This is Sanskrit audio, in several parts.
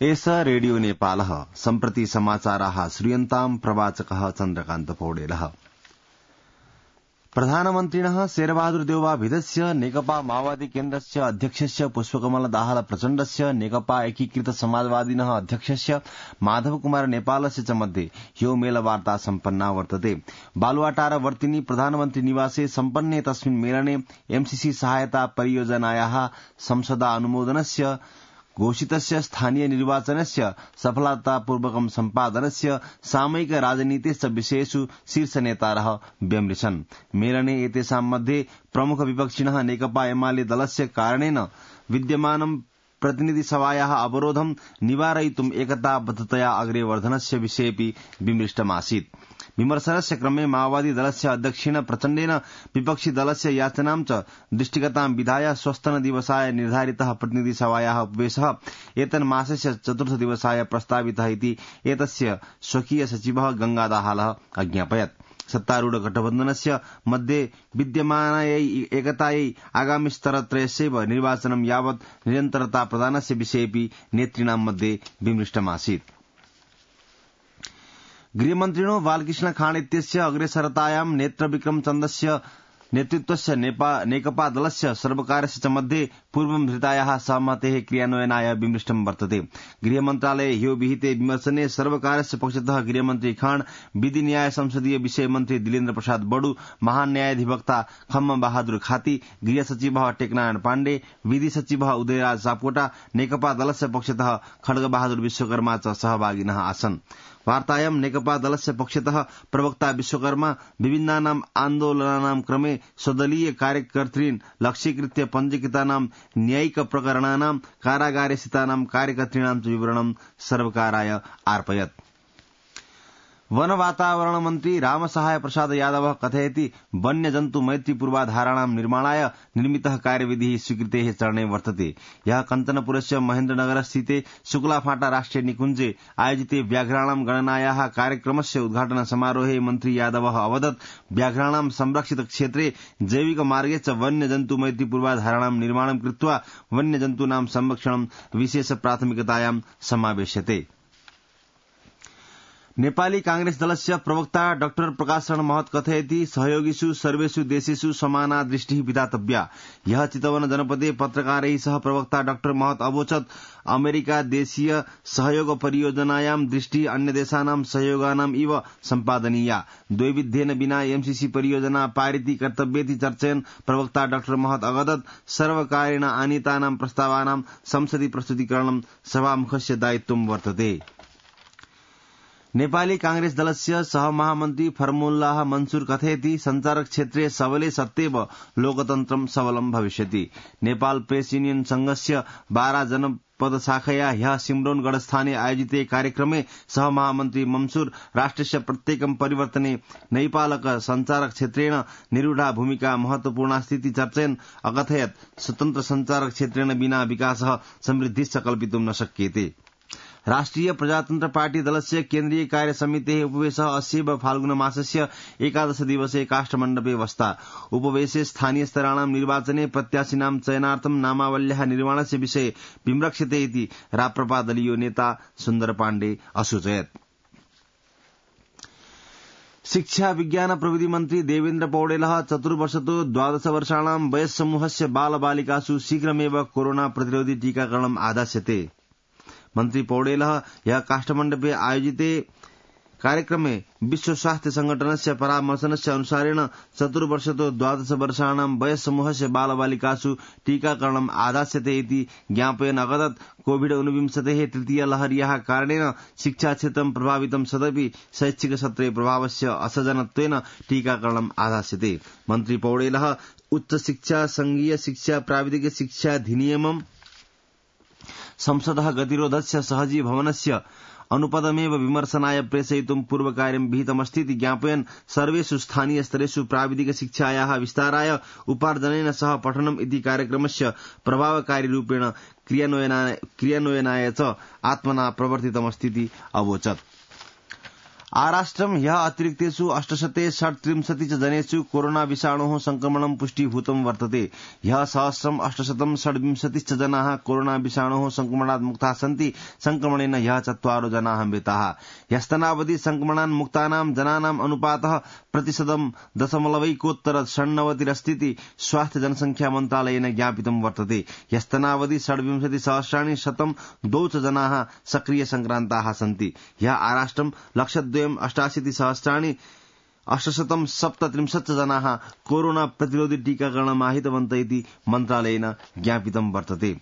एष रेडियो नेपालः सम्प्रति समाचाराः श्रूयन्ताम् प्रवाचकः चन्द्रकान्त पौडेलः। प्रधानमन्त्रिणः शेरबहादुर देउवा भिदस्य नेकपा माओवादी केन्द्रस्य अध्यक्षस्य पुष्पकमल दाहाल प्रचण्डस्य नेकपा एकीकृत समाजवादिनः अध्यक्षस्य माधव कुमार नेपालस्य च मध्ये ह्यो मेलवार्ता सम्पन्ना वर्तते। बालुवाटार वर्तिनी प्रधानमन्त्री निवासे सम्पन्ने तस्मिन् मेलने एमसीसी सहायता परियोजनायाः संसदा अनुमोदनस्य घोषितस्य स्थानीय निर्वाचनस्य सफलतापूर्वकं सम्पादनस्य सामयिक राजनीतिश्च विषयेषु शीर्ष नेतारः व्यमृशन्। मेलने एतेषां मध्ये प्रमुख विपक्षिणः नेकपा एमाले दलस्य कारणेन विद्यमानं प्रतिनिधि सभायाः अवरोधं निवारयितुम् एकताबद्धतया अग्रे वर्धनस्य विषयेऽपि विमृष्टमासीत्। विमर्शनस्य क्रमे माओवादी दलस्य अध्यक्षेण प्रचण्डेन विपक्षी दलस्य याचनां च दृष्टिगतां विधाय श्वस्तनदिवसाय निर्धारितः प्रतिनिधि सभायाः उपवेशः एतन्मासस्य 4th दिवसाय प्रस्तावितः इति एतस्य स्वकीय सचिवः गंगादाहालः अज्ञापयत्। सत्तारूढ गठबन्धनस्य मध्ये विद्यमानायै एकतायै आगामि स्तरत्रयस्यैव निर्वाचनं यावत् निरन्तरता प्रदानस्य विषयेऽपि नेतृणां मध्ये विमृष्टमासीत्। गृहमन्त्रिणो बालकृष्ण खाँड इत्यस्य अग्रेसरतायां नेत्रविक्रम चन्दस्य नेतृत्वस्य नेकपा दलस्य सर्वकारस्य च मध्ये पूर्वं धृतायाः सहमतेः क्रियान्वयनाय विमृष्टं वर्तते। गृहमन्त्रालये ह्यो विहिते विमर्शने सर्वकारस्य पक्षतः गृहमन्त्री खाँड, विधि न्याय संसदीय विषय मन्त्री दिलेन्द्र प्रसाद बडु, महान्यायाधिवक्ता खम्म बहादुर खाती, गृह सचिवः टेकनारायण पाण्डे, विधि सचिवः उदयराज सापकोटा, नेकपा दलस्य पक्षतः खड्गबहादुर विश्वकर्मा च सहभागिनः आसन्। वार्तायां नेकपा दलस्य पक्षतः प्रवक्ता विश्वकर्मा विभिन्नानां आन्दोलनानां क्रमे स्वदलीय कार्यकर्तॄन् लक्ष्यीकृत्य पञ्जीकृतानां न्यायिक प्रकरणानां कारागारे स्थितानां कार्यकर्तॄणां च विवरणं सर्वकाराय अर्पयत्। वन वातावरण मन्त्री रामसहाय प्रसाद यादवः कथयति वन्यजन्तु मैत्री पूर्वाधाराणां निर्माणाय निर्मितः कार्यविधिः स्वीकृतेः चरणे वर्तते। यः कञ्चनपुरस्य महेन्द्रनगरस्थिते शुक्लाफाटा राष्ट्रिय निकुञ्जे आयोजिते व्याघ्राणां गणनायाः कार्यक्रमस्य उद्घाटन समारोहे मन्त्री यादवः अवदत् व्याघ्राणां संरक्षित क्षेत्रे जैविक मार्गे च वन्यजन्तु मैत्री पूर्वाधाराणां निर्माणं कृत्वा वन्यजन्तूनां संरक्षणं विशेष प्राथमिकतायां समावेश्यते। नेपाली कांग्रेस दलस्य प्रवक्ता डाक्टर प्रकाश शरण महत कथयति सहयोगिषु सर्वेषु देशेषु समाना दृष्टिः विधातव्या। यह चितवन जनपदे पत्रकारैः सह प्रवक्ता डाक्टर महत अवोचत् अमेरिका देशीय सहयोग परियोजनायां दृष्टिः अन्य देशानां सहयोगानाम् इव सम्पादनीया। द्वैविध्येन विना एमसीसी परियोजना पारिति कर्तव्येति चर्चयन् प्रवक्ता डाक्टर महत अवदत् सर्वकारेण आनीतानां प्रस्तावानां संसदि प्रस्तुतीकरणं सभामुखस्य दायित्वं वर्तते। नेपाली कांग्रेस दलस्य सहमहामन्त्री फर्मुल्लाह मन्सूर कथयति संचारक क्षेत्रे सबले सत्येव लोकतन्त्रं सबलं भविष्यति। नेपाल प्रेस यूनियन संघस्य 12 जनपद शाखया ह्यः सिम्रौनगढस्थाने आयोजिते कार्यक्रमे सहमहामन्त्री मन्सूर राष्ट्रस्य प्रत्येकं परिवर्तने नैपालक संचारक क्षेत्रेण निरूढा भूमिका महत्वपूर्णास्तीति चर्चयन् अकथयत् स्वतन्त्र संचारक क्षेत्रेण विना विकासः समृद्धिश्च कल्पितुं न शक्यते। राष्ट्रिय प्रजातन्त्र पार्टी दलस्य केन्द्रीय कार्य समितेः उपवेशः अस्य फाल्गुन मासस्य 11 दिवसे काष्ठमण्डपे वस्ता। उपवेशे स्थानीय स्तराणां निर्वाचने प्रत्याशिनां चयनार्थं नामावल्याः निर्माणस्य विषये विमृक्षते इति राप्रपा दलीयो नेता सुन्दर पाण्डे असूचयत्। शिक्षा विज्ञान प्रविधि मन्त्री देवेन्द्र पौडेलः 4 वर्षतो 12 वर्षाणां वयस्समूहस्य बालबालिकासु शीघ्रमेव कोरोना प्रतिरोधी टीकाकरणम् आदास्यते। मन्त्री पौडेलः यह काष्ठमण्डपे आयोजिते कार्यक्रमे विश्व स्वास्थ्य संगठनस्य परामर्शनस्य अनुसारेण 4 वर्षतो 12 वर्षाणां वयस्समूहस्य बालबालिकासु टीकाकरणम् आदास्यते इति ज्ञापयन् अवदत् कोविड-19 तृतीय लहर्याः कारणेन शिक्षाक्षेत्रं प्रभावितं सदपि शैक्षिक सत्रे प्रभावस्य असजनत्वेन टीकाकरणम् आदास्यते। मन्त्री पौडेलः उच्च शिक्षा, संघीय शिक्षा, प्राविधिक शिक्षा अधिनियमम् संसदः गतिरोधस्य सहजी भवनस्य अनुपदमेव विमर्शनाय प्रेषयितुं पूर्वकार्यं विहितमस्तीति ज्ञापयन् सर्वेषु स्थानीय स्तरेषु प्राविधिक शिक्षायाः विस्ताराय उपार्जनेन सह पठनम् इति कार्यक्रमस्य प्रभावकारी रूपेण क्रियान्वयनाय च आत्मना प्रवर्तितमस्तीति अवोचत्। आराष्ट्रम ह्यः अतिरिक्तेषु 837 च जनेषु कोरोना विषाणोः संक्रमणं पुष्टीभूतं वर्तते। ह्यः 1826 च जनाः कोरोना विषाणोः संक्रमणात् मुक्ताः सन्ति। संक्रमणेन ह्यः 4 जनाः मृताः। ह्यस्तनावधि संक्रमणान् मुक्तानां जनानां अनुपातः 0.96 अस्ति। स्वास्थ्य जनसंख्या मन्त्रालयेन ज्ञापितं वर्तते। ह्यस्तनावधि 26,102 च जनाः सक्रिय संक्रान्ताः सन्ति। ह्यः आराष्ट्रं 1,82,837 जनाः कोरोना प्रतिरोधी टीकाकरणम् आहितवन्त इति मन्त्रालयेन ज्ञापितं वर्तते।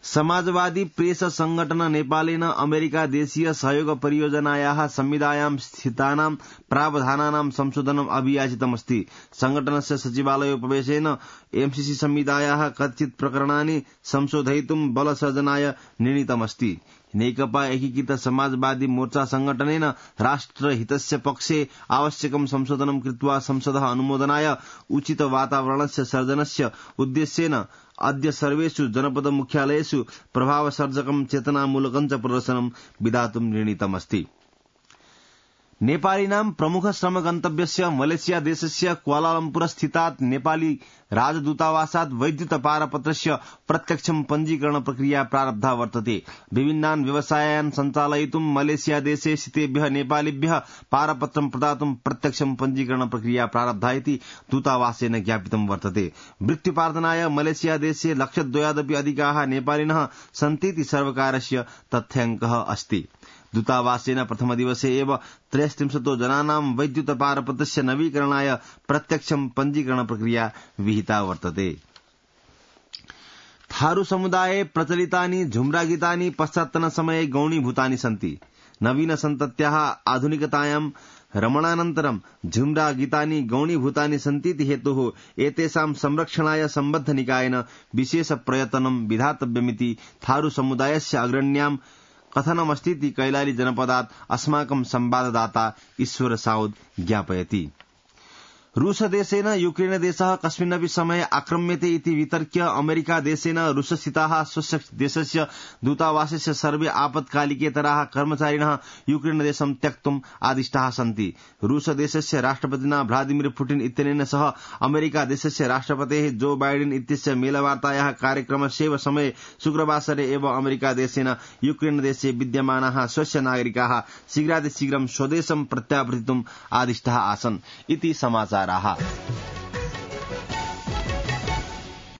समाजवादी प्रेस संगठन नेपालेन अमेरिका देशीय सहयोग परियोजनायाः संविधायां स्थितानां प्रावधानानां संशोधनम् अभियाचितमस्ति। संगठनस्य सचिवालयोपवेशेन एमसीसी संविधायाः कथित प्रकरणानि संशोधयितुं बलसर्जनाय निर्णीतमस्ति। नेकपा एकीकृत समाजवादी मोर्चा संगठनेन राष्ट्रहितस्य पक्षे आवश्यकं संशोधनं कृत्वा संसदः अनुमोदनाय उचित वातावरणस्य सर्जनस्य उद्देश्येन अद्य सर्वेषु जनपद मुख्यालयेषु प्रभावसर्जकं चेतनामूलकं च प्रदर्शनं विधातुं निर्णीतमस्ति। नेपालीनां प्रमुख श्रम गन्तव्यस्य मलेशिया देशस्य क्वालालम्पुर स्थितात् नेपाली राजदूतावासात् वैद्युत पारपत्रस्य प्रत्यक्षं पञ्जीकरण प्रक्रिया प्रारब्धा वर्तते। विभिन्नान् व्यवसायान् सञ्चालयितुं मलेशिया देशे स्थितेभ्यः नेपालीभ्यः पारपत्रं प्रदातुं प्रत्यक्षं पञ्जीकरण प्रक्रिया प्रारब्धा इति दूतावासेन ज्ञापितं वर्तते। मृत्युपार्जनाय मलेशिया देशे 1,02,000 अधिकाः नेपालिनः सन्तीति सर्वकारस्य तथ्याङ्कः अस्ति। दूतावासेन प्रथमदिवसे एव 33 जनानां वैद्युत पारपत्रस्य नवीकरणाय प्रत्यक्षं पञ्जीकरण प्रक्रिया विहिता वर्तते। थारू समुदाये प्रचलितानि झुम्रा गीतानि पश्चात्तन समये गौणीभूतानि सन्ति। नवीन सन्तत्याः आधुनिकतायां रमणानन्तरं झुम्रा गीतानि गौणीभूतानि सन्तीति हेतुः एतेषां संरक्षणाय सम्बद्ध निकायेन विशेष प्रयत्नं विधातव्यमिति थारू समुदायस्य अग्रण्यां कथनमस्तीति कैलाली जनपदात् अस्माकं संवाददाता ईश्वर साउद ज्ञापयति। रूसदेशेन यूक्रेन देशः कस्मिन्नपि समये आक्रम्यते इति वितर्क्य अमेरिका देशेन रूसस्थिताः स्वस्य देशस्य दूतावासस्य सर्वे आपत्कालिकेतराः कर्मचारिणः यूक्रेन देशं त्यक्तुम् आदिष्टाः सन्ति। रूसदेशस्य राष्ट्रपतिना व्लादिमिर पुटिन इत्यनेन सह अमेरिका देशस्य राष्ट्रपतेः जो बाइडेन इत्यस्य मेलवार्तायाः कार्यक्रमस्यैव समये शुक्रवासरे एव अमेरिका देशेन यूक्रेन देशे विद्यमानाः स्वस्य नागरिकाः शीघ्रातिशीघ्रं स्वदेशं प्रत्यावर्तितुम् आदिष्टाः आसन् इति समाचाराः।